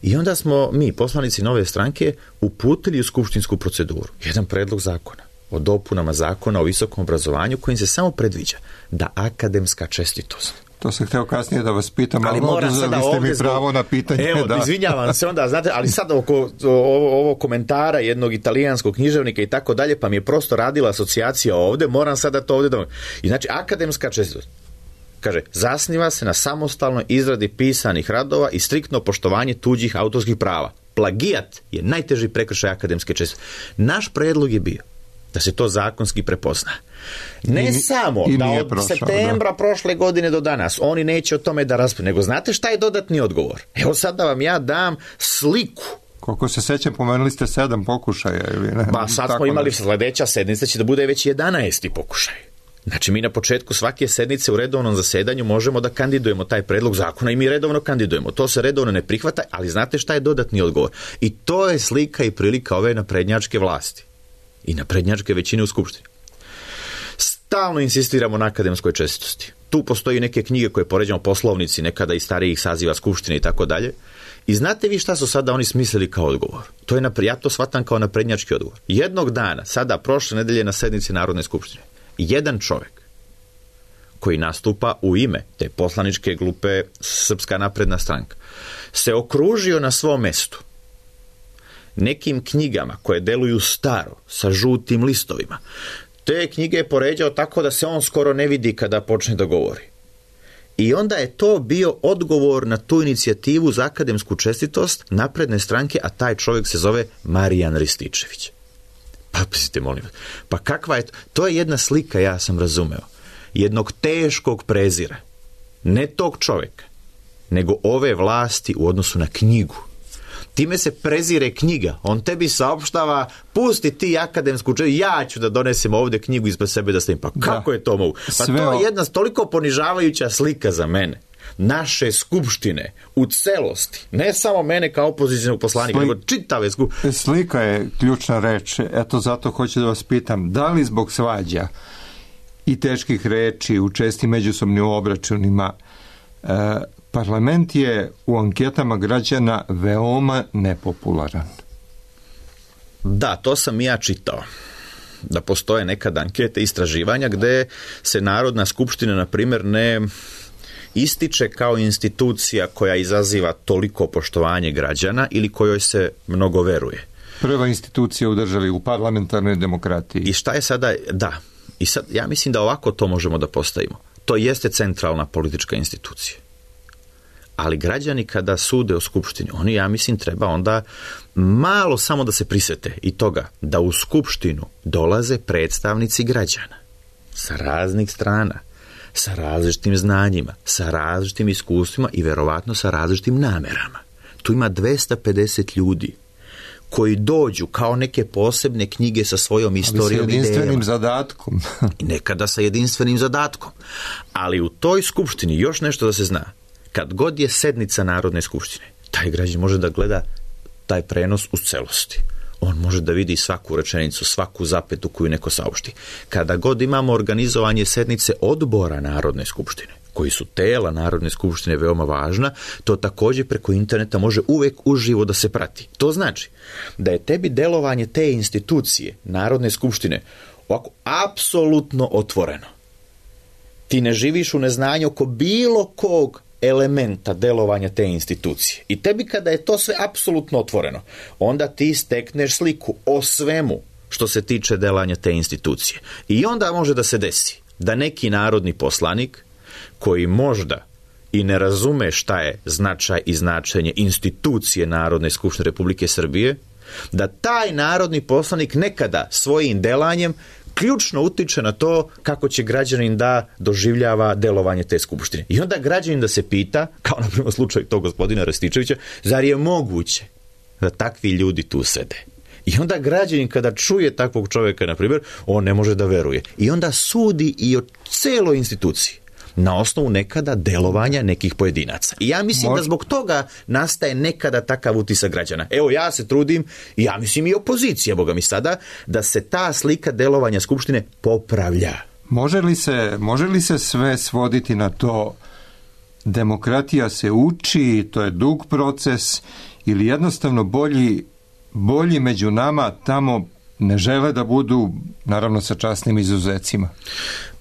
I onda smo mi, poslanici Nove stranke, uputili u skupštinsku proceduru jedan predlog zakona o dopunama zakona o visokom obrazovanju kojim se samo predviđa da akademska čestitost. To sam htio kasnije da vas pitam, ali moram sada ovdje mi pravo na pitanje. Evo, da. izvinjavam se onda, znate, ali sad oko ovo, ovo komentara jednog italijanskog književnika i tako dalje, pa mi je prosto radila asocijacija ovdje, moram sada to ovdje da... I znači, akademska čestitost, kaže, zasniva se na samostalnoj izradi pisanih radova i striktno poštovanje tuđih autorskih prava. Plagijat je najteži prekršaj akademske čestitosti. Naš predlog je bio da se to zakonski prepozna. Ne I, samo i da od prošao, septembra da. prošle godine do danas oni neće o tome da raspravljaju, nego znate šta je dodatni odgovor? Evo sad da vam ja dam sliku. Koliko se sećam, pomenuli ste sedam pokušaja ili ne? Ba, sad smo imali ne. Sledeća sednica će da bude već jedanaesti pokušaj. Znači mi na početku svake sednice u redovnom zasedanju možemo da kandidujemo taj predlog zakona i mi redovno kandidujemo. To se redovno ne prihvata, ali znate šta je dodatni odgovor? I to je slika i prilika ove naprednjačke vlasti i naprednjačke većine u Skupštini. Stalno insistiramo na akademskoj čestitosti. Tu postoji neke knjige koje poređamo, poslovnici nekada iz starijih saziva Skupštine i tako dalje. I znate vi šta su sada oni smislili kao odgovor? To je napred, ja to shvatam kao naprednjački odgovor. Jednog dana, sada prošle nedelje na sednici Narodne skupštine, jedan čovjek koji nastupa u ime te poslaničke grupe Srpska napredna stranka, se okružio na svom mestu nekim knjigama koje deluju staro, sa žutim listovima. Te knjige je poređao tako da se on skoro ne vidi kada počne da govori. I onda je to bio odgovor na tu inicijativu za akademsku čestitost napredne stranke, a taj čovjek se zove Marijan Rističević. Pa, pazite, molim vas, pa kakva je to? To je jedna slika, ja sam razumeo, jednog teškog prezira. Ne tog čovjeka, nego ove vlasti u odnosu na knjigu. Time se prezire knjiga. On tebi saopštava, pusti ti akademsku čestitost, ja ću da donesem ovdje knjigu ispred sebe da stavim. Pa kako da. je to mogu? Pa Sve to je jedna toliko ponižavajuća slika za mene. Naše skupštine u celosti, ne samo mene kao opozicionog poslanika, Sli... nego čitave skupštine. Slika je ključna reč. Eto, zato hoću da vas pitam, da li zbog svađa i teških reči u čestim međusobnim obračunima e, parlament je u anketama građana veoma nepopularan? Da, to sam i ja čitao. Da postoje nekad ankete, istraživanja gde se Narodna skupština, na primjer, ne ističe kao institucija koja izaziva toliko poštovanje građana ili kojoj se mnogo veruje. Prva institucija u državi, u parlamentarnoj demokratiji. I šta je sada? Da. I sad, ja mislim da ovako to možemo da postavimo. To jeste centralna politička institucija. Ali građani kada sude o skupštini, oni, ja mislim, treba onda malo samo da se prisete i toga da u skupštinu dolaze predstavnici građana sa raznih strana, sa različitim znanjima, sa različitim iskustvima i verovatno sa različitim namerama. Tu ima dvesta pedeset ljudi koji dođu kao neke posebne knjige sa svojom istorijom i idejama. Ali sa jedinstvenim zadatkom. Nekada sa jedinstvenim zadatkom. Ali u toj skupštini još nešto da se zna. Kad god je sednica Narodne skupštine, taj građan može da gleda taj prenos u celosti. On može da vidi svaku rečenicu, svaku zapetu koju neko saopšti. Kada god imamo organizovanje sednice odbora Narodne skupštine, koji su tela Narodne skupštine veoma važna, to također preko interneta može uvek uživo da se prati. To znači da je tebi delovanje te institucije Narodne skupštine ovako apsolutno otvoreno. Ti ne živiš u neznanju oko bilo kog elementa delovanja te institucije. I tebi kada je to sve apsolutno otvoreno, onda ti stekneš sliku o svemu što se tiče delovanja te institucije. I onda može da se desi da neki narodni poslanik koji možda i ne razume šta je značaj i značenje institucije Narodne skupštine Republike Srbije, da taj narodni poslanik nekada svojim delanjem ključno utiče na to kako će građanin da doživljava delovanje te skupštine. I onda građanin da se pita, kao na primjer slučaj tog gospodina Rističevića, zar je moguće da takvi ljudi tu sede? I onda građanin kada čuje takvog čovjeka, na primjer, on ne može da veruje. I onda sudi i o celoj instituciji na osnovu nekada delovanja nekih pojedinaca. I ja mislim Možda. da zbog toga nastaje nekada takav utisak građana. Evo, ja se trudim, i ja mislim i opozicija, boga mi sada, da se ta slika delovanja skupštine popravlja. Može li se, može li se sve svoditi na to demokratija se uči, to je dug proces, ili jednostavno bolji, bolji među nama tamo ne žele da budu, naravno sa časnim izuzecima?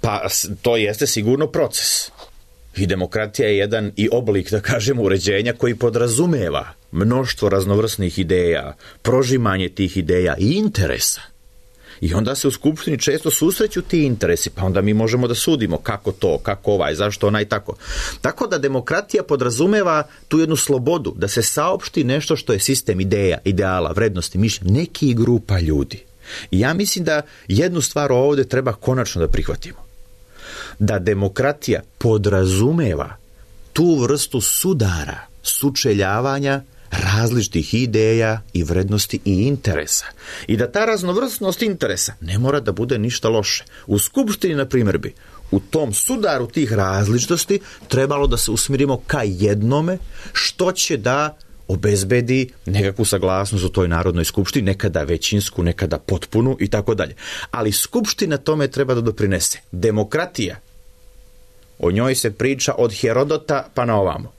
Pa to jeste sigurno proces. I demokratija je jedan i oblik, da kažemo, uređenja koji podrazumeva mnoštvo raznovrsnih ideja, prožimanje tih ideja i interesa. I onda se u skupštini često susreću ti interesi, pa onda mi možemo da sudimo kako to, kako ovaj, zašto onaj, tako. Tako da demokratija podrazumeva tu jednu slobodu, da se saopšti nešto što je sistem ideja, ideala, vrednosti, mišljenja, neki grupa ljudi. I ja mislim da jednu stvar ovdje treba konačno da prihvatimo. Da demokratija podrazumeva tu vrstu sudara, sučeljavanja različitih ideja i vrednosti i interesa. I da ta raznovrsnost interesa ne mora da bude ništa loše. U skupštini, na primjer, bi u tom sudaru tih različitosti trebalo da se usmjerimo ka jednome što će da obezbedi nekakvu saglasnost u toj Narodnoj skupštini, nekada većinsku, nekada potpunu i tako dalje. Ali skupština tome treba da doprinese. Demokratija, o njoj se priča od Herodota pa na ovamo.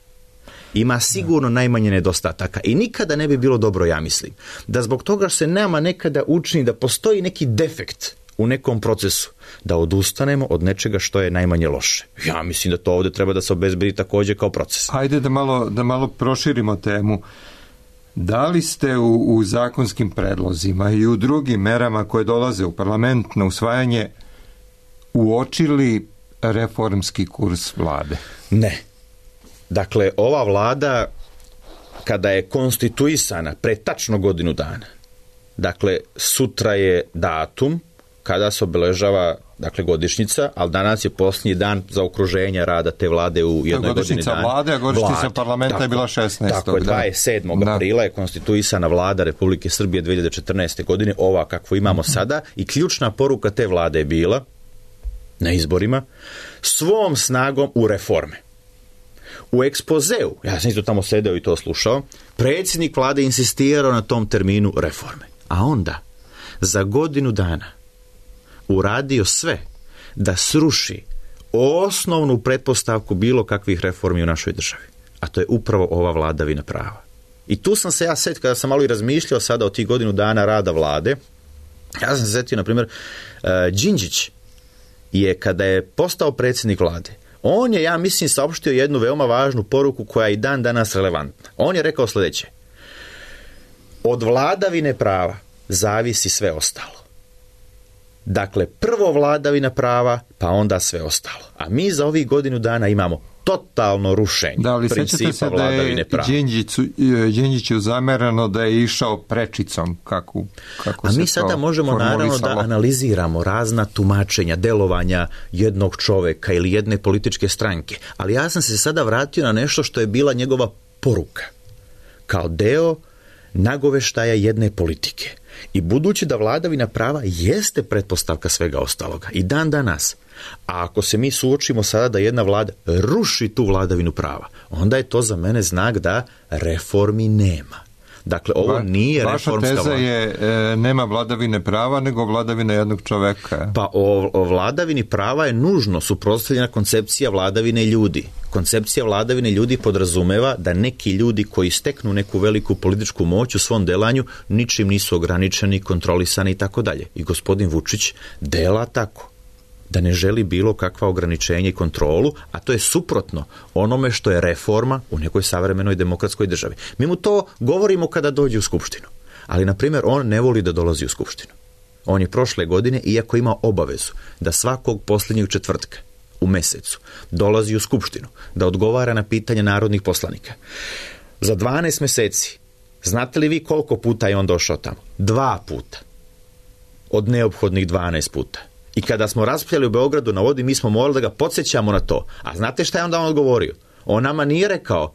Ima sigurno najmanje nedostataka i nikada ne bi bilo dobro, ja mislim, da zbog toga se nama nekada učini da postoji neki defekt u nekom procesu da odustanemo od nečega što je najmanje loše. Ja mislim da to ovdje treba da se obezbedi također kao proces. Hajde da malo, da malo proširimo temu. Da li ste u, u zakonskim predlozima i u drugim merama koje dolaze u parlament na usvajanje uočili reformski kurs vlade? Ne. Dakle, ova vlada kada je konstituisana pre tačno godinu dana, dakle, sutra je datum kada se obeležava, dakle, godišnjica, ali danas je posljednji dan za okruženje rada te vlade u jednoj godini dana. Godišnjica vlade, a godišnjica parlamenta tako, je bila šesnaestog Tako je, dvadeset sedmog aprila je konstituisana vlada Republike Srbije dve hiljade četrnaeste. godine, ova kakvu imamo sada, i ključna poruka te vlade je bila na izborima svom snagom u reforme. U ekspozeu, ja sam isto tamo sedeo i to slušao, predsjednik vlade insistirao na tom terminu reforme. A onda, za godinu dana, uradio sve da sruši osnovnu pretpostavku bilo kakvih reformi u našoj državi. A to je upravo ova vladavina prava. I tu sam se ja set, kada sam malo i razmišljao sada o tih godinu dana rada vlade, ja sam se setio, na primjer, uh, Đinđić je, kada je postao predsjednik vlade, on je, ja mislim, saopštio jednu veoma važnu poruku koja je i dan danas relevantna. On je rekao sljedeće: od vladavine prava zavisi sve ostalo. Dakle, prvo vladavina prava, pa onda sve ostalo. A mi za ovih godinu dana imamo totalno rušenje da, ali principa se vladavine prava. Da li sećate se da je Đinđiću zamerano da je išao prečicom, kako, kako A se mi sada to možemo naravno da analiziramo razna tumačenja, delovanja jednog čoveka ili jedne političke stranke. Ali ja sam se sada vratio na nešto što je bila njegova poruka, kao deo nagoveštaja jedne politike. I budući da vladavina prava jeste pretpostavka svega ostaloga i dan danas, a ako se mi suočimo sada da jedna vlada ruši tu vladavinu prava, onda je to za mene znak da reformi nema. Dakle, ovo Va, nije vaša reformska teza vlada. je e, nema vladavine prava, nego vladavine jednog čoveka. Pa o, o vladavini prava je nužno suprotstavljena koncepcija vladavine ljudi. Koncepcija vladavine ljudi podrazumeva da neki ljudi koji steknu neku veliku političku moć u svom delanju ničim nisu ograničeni, kontrolisani i tako dalje. I gospodin Vučić dela tako, da ne želi bilo kakva ograničenja i kontrolu, a to je suprotno onome što je reforma u nekoj savremenoj demokratskoj državi. Mi mu to govorimo kada dođe u Skupštinu, ali, na primjer, on ne voli da dolazi u Skupštinu. On je prošle godine, iako ima obavezu da svakog posljednjeg četvrtka u mesecu dolazi u Skupštinu, da odgovara na pitanja narodnih poslanika. Za dvanaest meseci, znate li vi koliko puta je on došao tamo? Dva puta. Od neophodnih dvanaest puta. I kada smo raspravljali u Beogradu na vodi, mi smo morali da ga podsjećamo na to. A znate šta je onda on odgovorio? On nama nije rekao: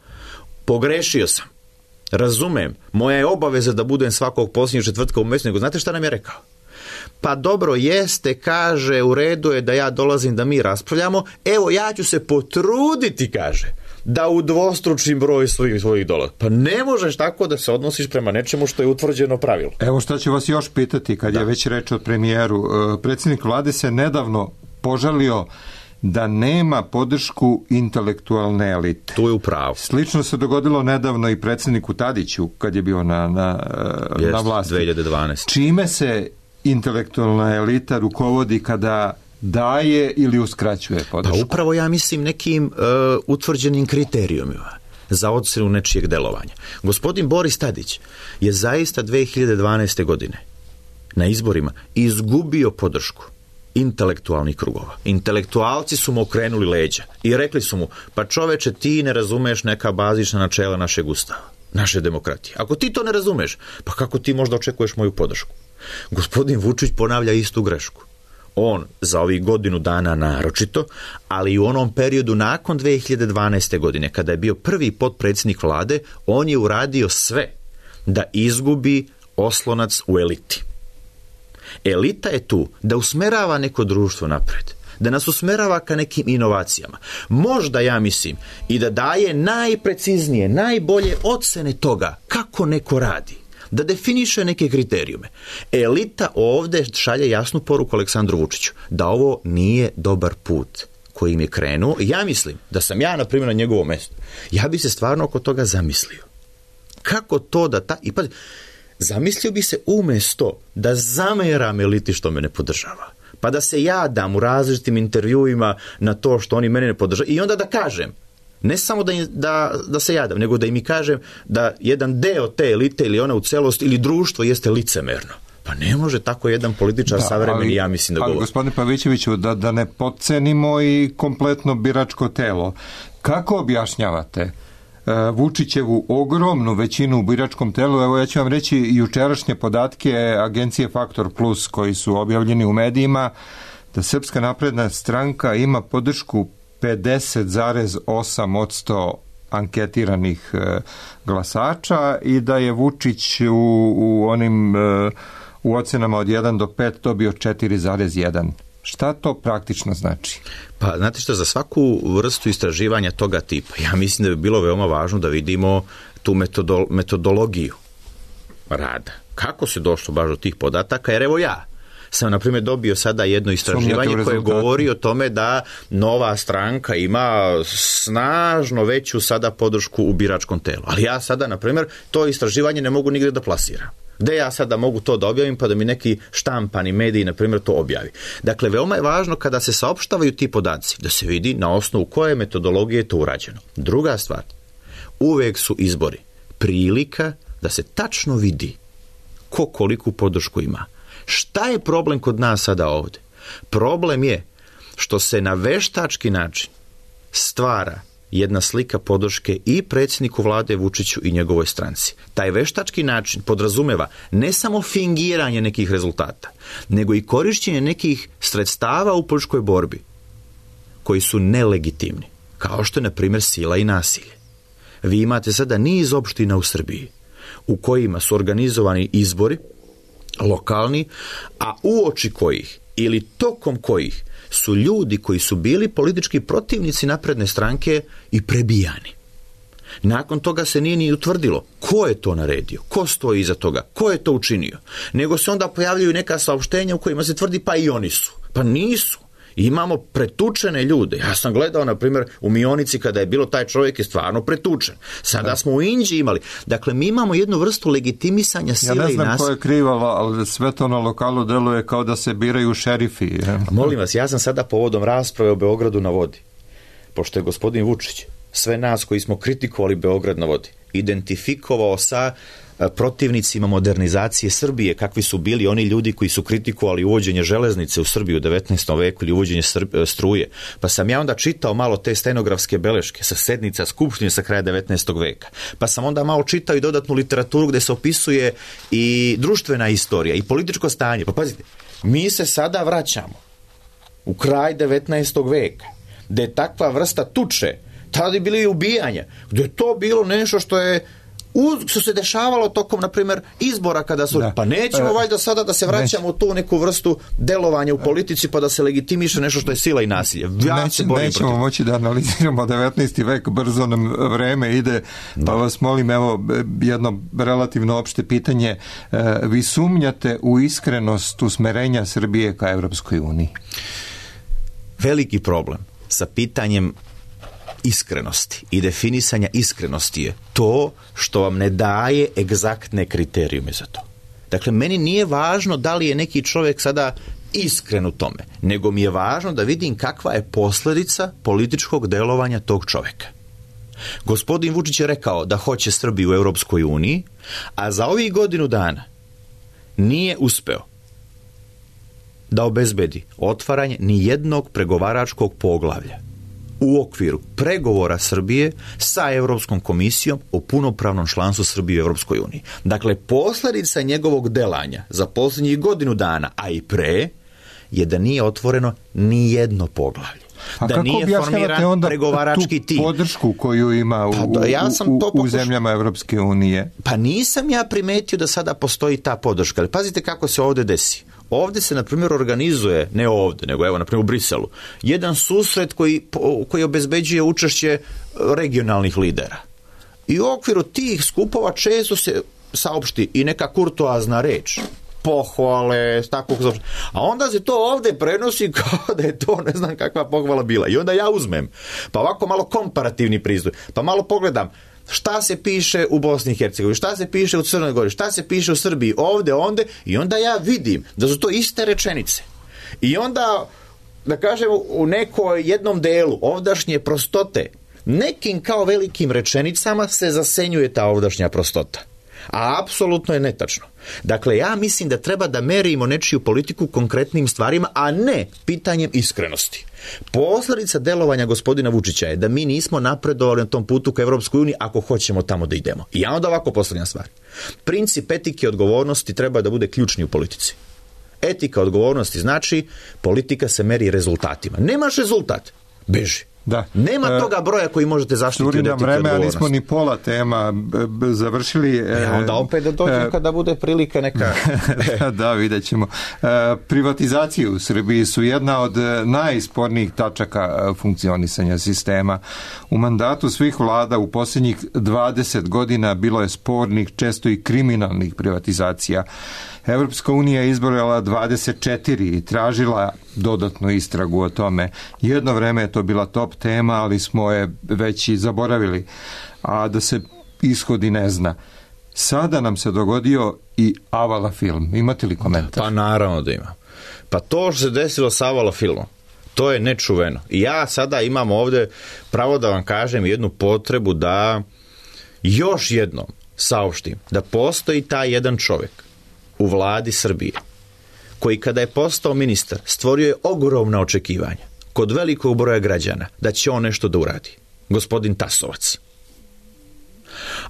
pogrešio sam, razumem, moja je obaveza da budem svakog posljednjeg četvrtka u mjesecu. Nego znate šta nam je rekao? Pa dobro, jeste, kaže, u redu je da ja dolazim da mi raspravljamo, evo ja ću se potruditi, kaže, da udvostručim broj svojih, svojih dolara. Pa ne možeš tako da se odnosiš prema nečemu što je utvrđeno pravilo. Evo šta ću vas još pitati kad da. je već reč o premijeru. Predsjednik vlade se nedavno požalio da nema podršku intelektualne elite. Tu je u pravu. Slično se dogodilo nedavno i predsjedniku Tadiću kad je bio na, na, Jest, na vlasti. dve hiljade dvanaeste. Čime se intelektualna elita rukovodi kada daje ili uskraćuje podršku? Pa upravo, ja mislim, nekim uh, utvrđenim kriterijumima za ocenu nečijeg delovanja. Gospodin Boris Tadić je zaista dve hiljade dvanaeste. godine na izborima izgubio podršku intelektualnih krugova. Intelektualci su mu okrenuli leđa i rekli su mu: pa čoveče, ti ne razumeš neka bazična načela našeg ustava, naše demokratije. Ako ti to ne razumeš, pa kako ti možda očekuješ moju podršku? Gospodin Vučić ponavlja istu grešku. On za ovih godinu dana naročito, ali i u onom periodu nakon dve hiljade dvanaeste. godine, kada je bio prvi potpredsjednik vlade, on je uradio sve da izgubi oslonac u eliti. Elita je tu da usmerava neko društvo napred, da nas usmerava ka nekim inovacijama. Možda, ja mislim, i da daje najpreciznije, najbolje ocene toga kako neko radi, da definiše neke kriterijume. Elita ovdje šalje jasnu poruku Aleksandru Vučiću da ovo nije dobar put kojim je krenuo. Ja mislim da sam ja, na primjer, na njegovom mjestu, ja bi se stvarno oko toga zamislio. Kako to da ta... I pa, Zamislio bi se umjesto da zameram eliti što me ne podržava, pa da se jadam u različitim intervjuima na to što oni mene ne podržavaju i onda da kažem, ne samo da, da, da se jadam, nego da im i kažem da jedan deo te elite ili ona u celosti ili društvo jeste licemerno. Pa ne može tako jedan političar da, savremeni, ali, ja mislim da govori. Ali, gospodine Pavićeviću, da, da ne podcenimo i kompletno biračko telo. Kako objašnjavate uh, Vučićevu ogromnu većinu u biračkom telu? Evo, ja ću vam reći jučerašnje podatke agencije Faktor Plus koji su objavljeni u medijima, da Srpska napredna stranka ima podršku pedeset zarez osam posto anketiranih uh, glasača i da je Vučić u, u onim... Uh, u ocenama od jedan do pet dobio četiri zarez jedan. Šta to praktično znači? Pa, znate što, za svaku vrstu istraživanja toga tipa, ja mislim da bi bilo veoma važno da vidimo tu metodol, metodologiju rada. Kako se došlo baš do tih podataka? Jer evo ja sam, na primjer, dobio sada jedno istraživanje koje govori o tome da Nova stranka ima snažno veću sada podršku u biračkom telu. Ali ja sada, na primjer, to istraživanje ne mogu nigde da plasiram. Gde ja sada mogu to da objavim pa da mi neki štampani mediji, na primjer, to objavi. Dakle, veoma je važno kada se saopštavaju ti podaci da se vidi na osnovu koje metodologije je to urađeno. Druga stvar, uvek su izbori prilika da se tačno vidi ko koliku podršku ima. Šta je problem kod nas sada ovdje? Problem je što se na veštački način stvara jedna slika podrške i predsjedniku vlade Vučiću i njegovoj stranci. Taj veštački način podrazumeva ne samo fingiranje nekih rezultata, nego i korišćenje nekih sredstava u političkoj borbi koji su nelegitimni, kao što je, na primjer, sila i nasilje. Vi imate sada niz opština u Srbiji u kojima su organizovani izbori lokalni, a uoči kojih ili tokom kojih su ljudi koji su bili politički protivnici napredne stranke i prebijani. Nakon toga se nije ni utvrdilo ko je to naredio, ko stoji iza toga, ko je to učinio, nego se onda pojavljaju neka saopštenja u kojima se tvrdi pa i oni su. Pa nisu. Imamo pretučene ljude. Ja sam gledao, na primjer, u Mionici kada je bilo, taj čovjek je stvarno pretučen. Sada smo u Inđiji imali. Dakle, mi imamo jednu vrstu legitimisanja sile i nas. Ja ne znam ko je krivalo, ali sve to na lokalu deluje kao da se biraju šerifi. Je. Molim vas, ja sam sada povodom rasprave o Beogradu na vodi, pošto je gospodin Vučić sve nas koji smo kritikovali Beograd na vodi identifikovao sa protivnicima modernizacije Srbije, kakvi su bili oni ljudi koji su kritikovali uvođenje železnice u Srbiju u devetnaestom veku ili uvođenje struje. Pa sam ja onda čitao malo te stenografske beleške sa sednica Skupštine sa kraja devetnaestog veka. Pa sam onda malo čitao i dodatnu literaturu gdje se opisuje i društvena istorija i političko stanje. Pa pazite, mi se sada vraćamo u kraj devetnaestog veka, gdje je takva vrsta tuče, tada je bili ubijanja, gdje je to bilo nešto što je što se dešavalo tokom, na primjer, izbora kada su, da. Pa nećemo valjda sada da se vraćamo u tu neku vrstu delovanja u politici pa da se legitimiše nešto što je sila i nasilje. Ja Neć, nećemo protiv. moći da analiziramo devetnaesti vek, brzo nam vreme ide, pa da. vas molim, evo, jedno relativno opšte pitanje. Vi sumnjate u iskrenost usmerenja Srbije ka Evropskoj uniji? Veliki problem sa pitanjem iskrenosti i definisanja iskrenosti je to što vam ne daje egzaktne kriterijume za to. Dakle, meni nije važno da li je neki čovjek sada iskren u tome, nego mi je važno da vidim kakva je posljedica političkog delovanja tog čovjeka. Gospodin Vučić je rekao da hoće Srbiju u Europskoj uniji, a za ovih godinu dana nije uspeo da obezbedi otvaranje ni jednog pregovaračkog poglavlja u okviru pregovora Srbije sa Europskom komisijom o punopravnom članstvu Srbije u Europskoj uniji. Dakle, posljedica njegovog delanja za posljednjih godinu dana, a i pre, je da nije otvoreno ni jedno poglavlje. A da kako nije formiran onda pregovarački tu tim. Podršku koju ima u, pa, da, ja sam u, to u zemljama Evropske unije? Pa nisam ja primetio da sada postoji ta podrška. Ali pazite kako se ovdje desi. Ovdje se, na primjer, organizuje, ne ovdje, nego evo, na primjer, u Briselu, jedan susret koji, koji obezbeđuje učešće regionalnih lidera. I u okviru tih skupova često se saopšti i neka kurtoazna reč, pohvale, takvog zaopštenja. A onda se to ovdje prenosi kao da je to ne znam kakva pohvala bila. I onda ja uzmem, pa ovako malo komparativni pristup, pa malo pogledam šta se piše u Bosni i Hercegovini, šta se piše u Crnoj Gori, šta se piše u Srbiji, ovde, onde, i onda ja vidim da su to iste rečenice. I onda, da kažem, u nekoj jednom delu ovdašnje prostote, nekim kao velikim rečenicama se zasenjuje ta ovdašnja prostota. A apsolutno je netačno. Dakle, ja mislim da treba da merimo nečiju politiku konkretnim stvarima, a ne pitanjem iskrenosti. Posledica delovanja gospodina Vučića je da mi nismo napredovali na tom putu ka Evropskoj uniji ako hoćemo tamo da idemo. I ja onda ovako postavljam stvar. Princip etike i odgovornosti treba da bude ključni u politici. Etika odgovornosti znači politika se meri rezultatima. Nemaš rezultat, beži. Da. Nema toga broja koji možete zaštiti od etike vreme, odgovornosti. A nismo ni pola tema b- b- završili. E, onda opet da dođem e, kada bude prilika neka. Da, vidjet ćemo. E, privatizacije u Srbiji su jedna od najspornijih tačaka funkcionisanja sistema. U mandatu svih vlada u posljednjih dvadeset godina bilo je spornih, često i kriminalnih privatizacija. Evropska unija je izbrojala dvadeset četiri i tražila dodatnu istragu o tome. Jedno vreme je to bila top tema, ali smo je već i zaboravili, a da se ishodi ne zna. Sada nam se dogodio i Avala film. Imate li komentar? Pa naravno da ima. Pa to što se desilo sa Avala filmom, to je nečuveno. I ja sada imam ovde pravo da vam kažem jednu potrebu da još jednom saopštim da postoji taj jedan čovjek u vladi Srbije, koji kada je postao ministar stvorio je ogromna očekivanja kod velikog broja građana da će on nešto da uradi. Gospodin Tasovac.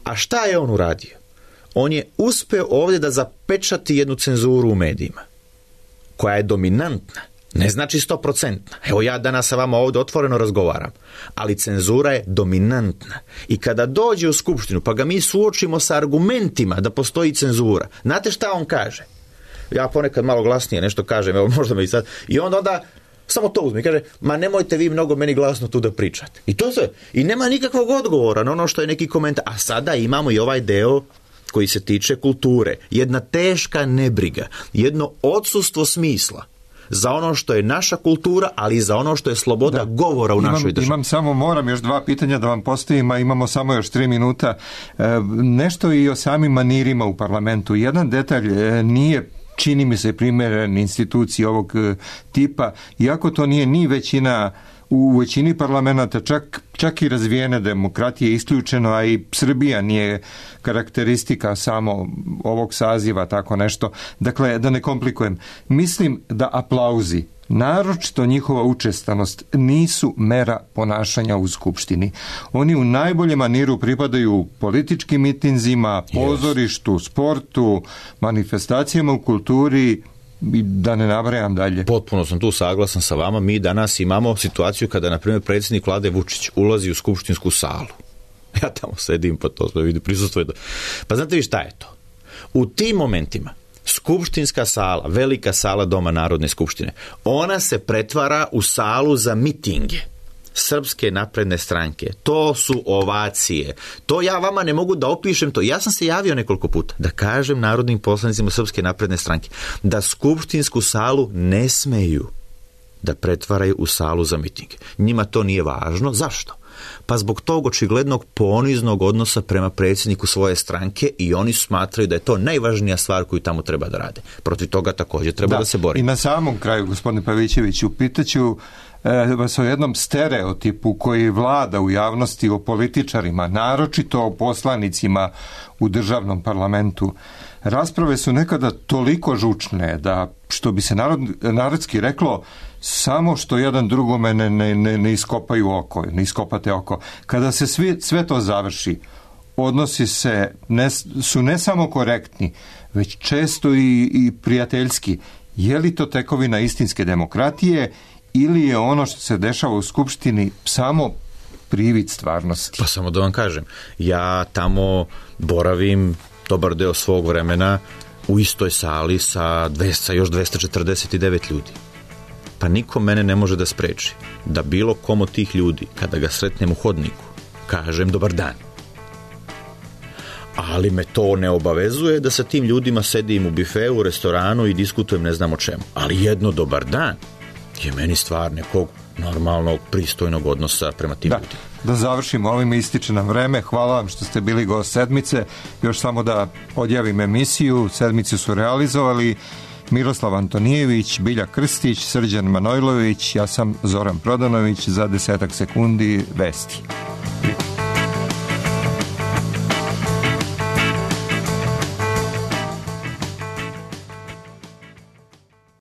A šta je on uradio? On je uspeo ovdje da zapečati jednu cenzuru u medijima, koja je dominantna, ne znači sto procentna. Evo ja danas sa vama ovdje otvoreno razgovaram, ali cenzura je dominantna. I kada dođe u skupštinu, pa ga mi suočimo sa argumentima da postoji cenzura, znate šta on kaže? Ja ponekad malo glasnije nešto kažem, evo možda me i sad, i onda onda samo to uzme i kaže, ma nemojte vi mnogo meni glasno tu da pričate. I to sve. I nema nikakvog odgovora na ono što je neki komentar. A sada imamo i ovaj deo koji se tiče kulture. Jedna teška nebriga, jedno odsustvo smisla za ono što je naša kultura, ali i za ono što je sloboda da. govora u imam, našoj državi. Imam samo, moram još dva pitanja da vam postavim, a imamo samo još tri minuta. E, nešto i o samim manirima u parlamentu. Jedan detalj e, nije, čini mi se, primjeren instituciji ovog e, tipa, iako to nije ni većina u većini parlamenta, čak, čak i razvijene demokratije isključeno, a i Srbija nije karakteristika samo ovog saziva, tako nešto. Dakle, da ne komplikujem, mislim da aplauzi, naročito njihova učestanost, nisu mera ponašanja u Skupštini. Oni u najboljem maniru pripadaju političkim mitinzima, pozorištu, sportu, manifestacijama u kulturi, i da ne nabrajam dalje. Potpuno sam tu saglasan sa vama. Mi danas imamo situaciju kada, na primjer, predsjednik vlade Vučić ulazi u skupštinsku salu. Ja tamo sedim, pa to sve vidi, prisustvuje. Pa znate vi šta je to? U tim momentima skupštinska sala, velika sala Doma Narodne skupštine, ona se pretvara u salu za mitinge Srpske napredne stranke. To su ovacije. To ja vama ne mogu da opišem to. Ja sam se javio nekoliko puta da kažem narodnim poslanicima Srpske napredne stranke da skupštinsku salu ne smeju da pretvaraju u salu za miting. Njima to nije važno. Zašto? Pa zbog tog očiglednog poniznog odnosa prema predsjedniku svoje stranke, i oni smatraju da je to najvažnija stvar koju tamo treba da rade. Protiv toga također treba da, da se bori. I na samom kraju, gospodine Pavićeviću, pitaću vas o jednom stereotipu koji vlada u javnosti o političarima, naročito o poslanicima u državnom parlamentu. Rasprave su nekada toliko žučne da, što bi se narod, narodski reklo, samo što jedan drugome ne, ne, ne, ne iskopaju oko, ne iskopate oko. Kada se svi, sve to završi, odnosi se ne, su ne samo korektni, već često i, i prijateljski. Je li to tekovina istinske demokratije ili je ono što se dešava u Skupštini samo privid stvarnosti? Pa samo da vam kažem, ja tamo boravim dobar deo svog vremena u istoj sali sa dvesta, još dvesta četrdeset devet ljudi. Pa niko mene ne može da spreči da bilo kom od tih ljudi, kada ga sretnem u hodniku, kažem dobar dan. Ali me to ne obavezuje da sa tim ljudima sedim u bifeu, u restoranu i diskutujem ne znam o čemu. Ali jedno dobar dan je meni stvar nekog normalnog, pristojnog odnosa prema tim da. ljudima. da završimo, ovim ističe nam vreme. Hvala vam što ste bili gost sedmice. Još samo da odjavim emisiju. Sedmicu su realizovali Miroslav Antonijević, Bilja Krstić, Srđan Manojlović, ja sam Zoran Prodanović. Za desetak sekundi vesti.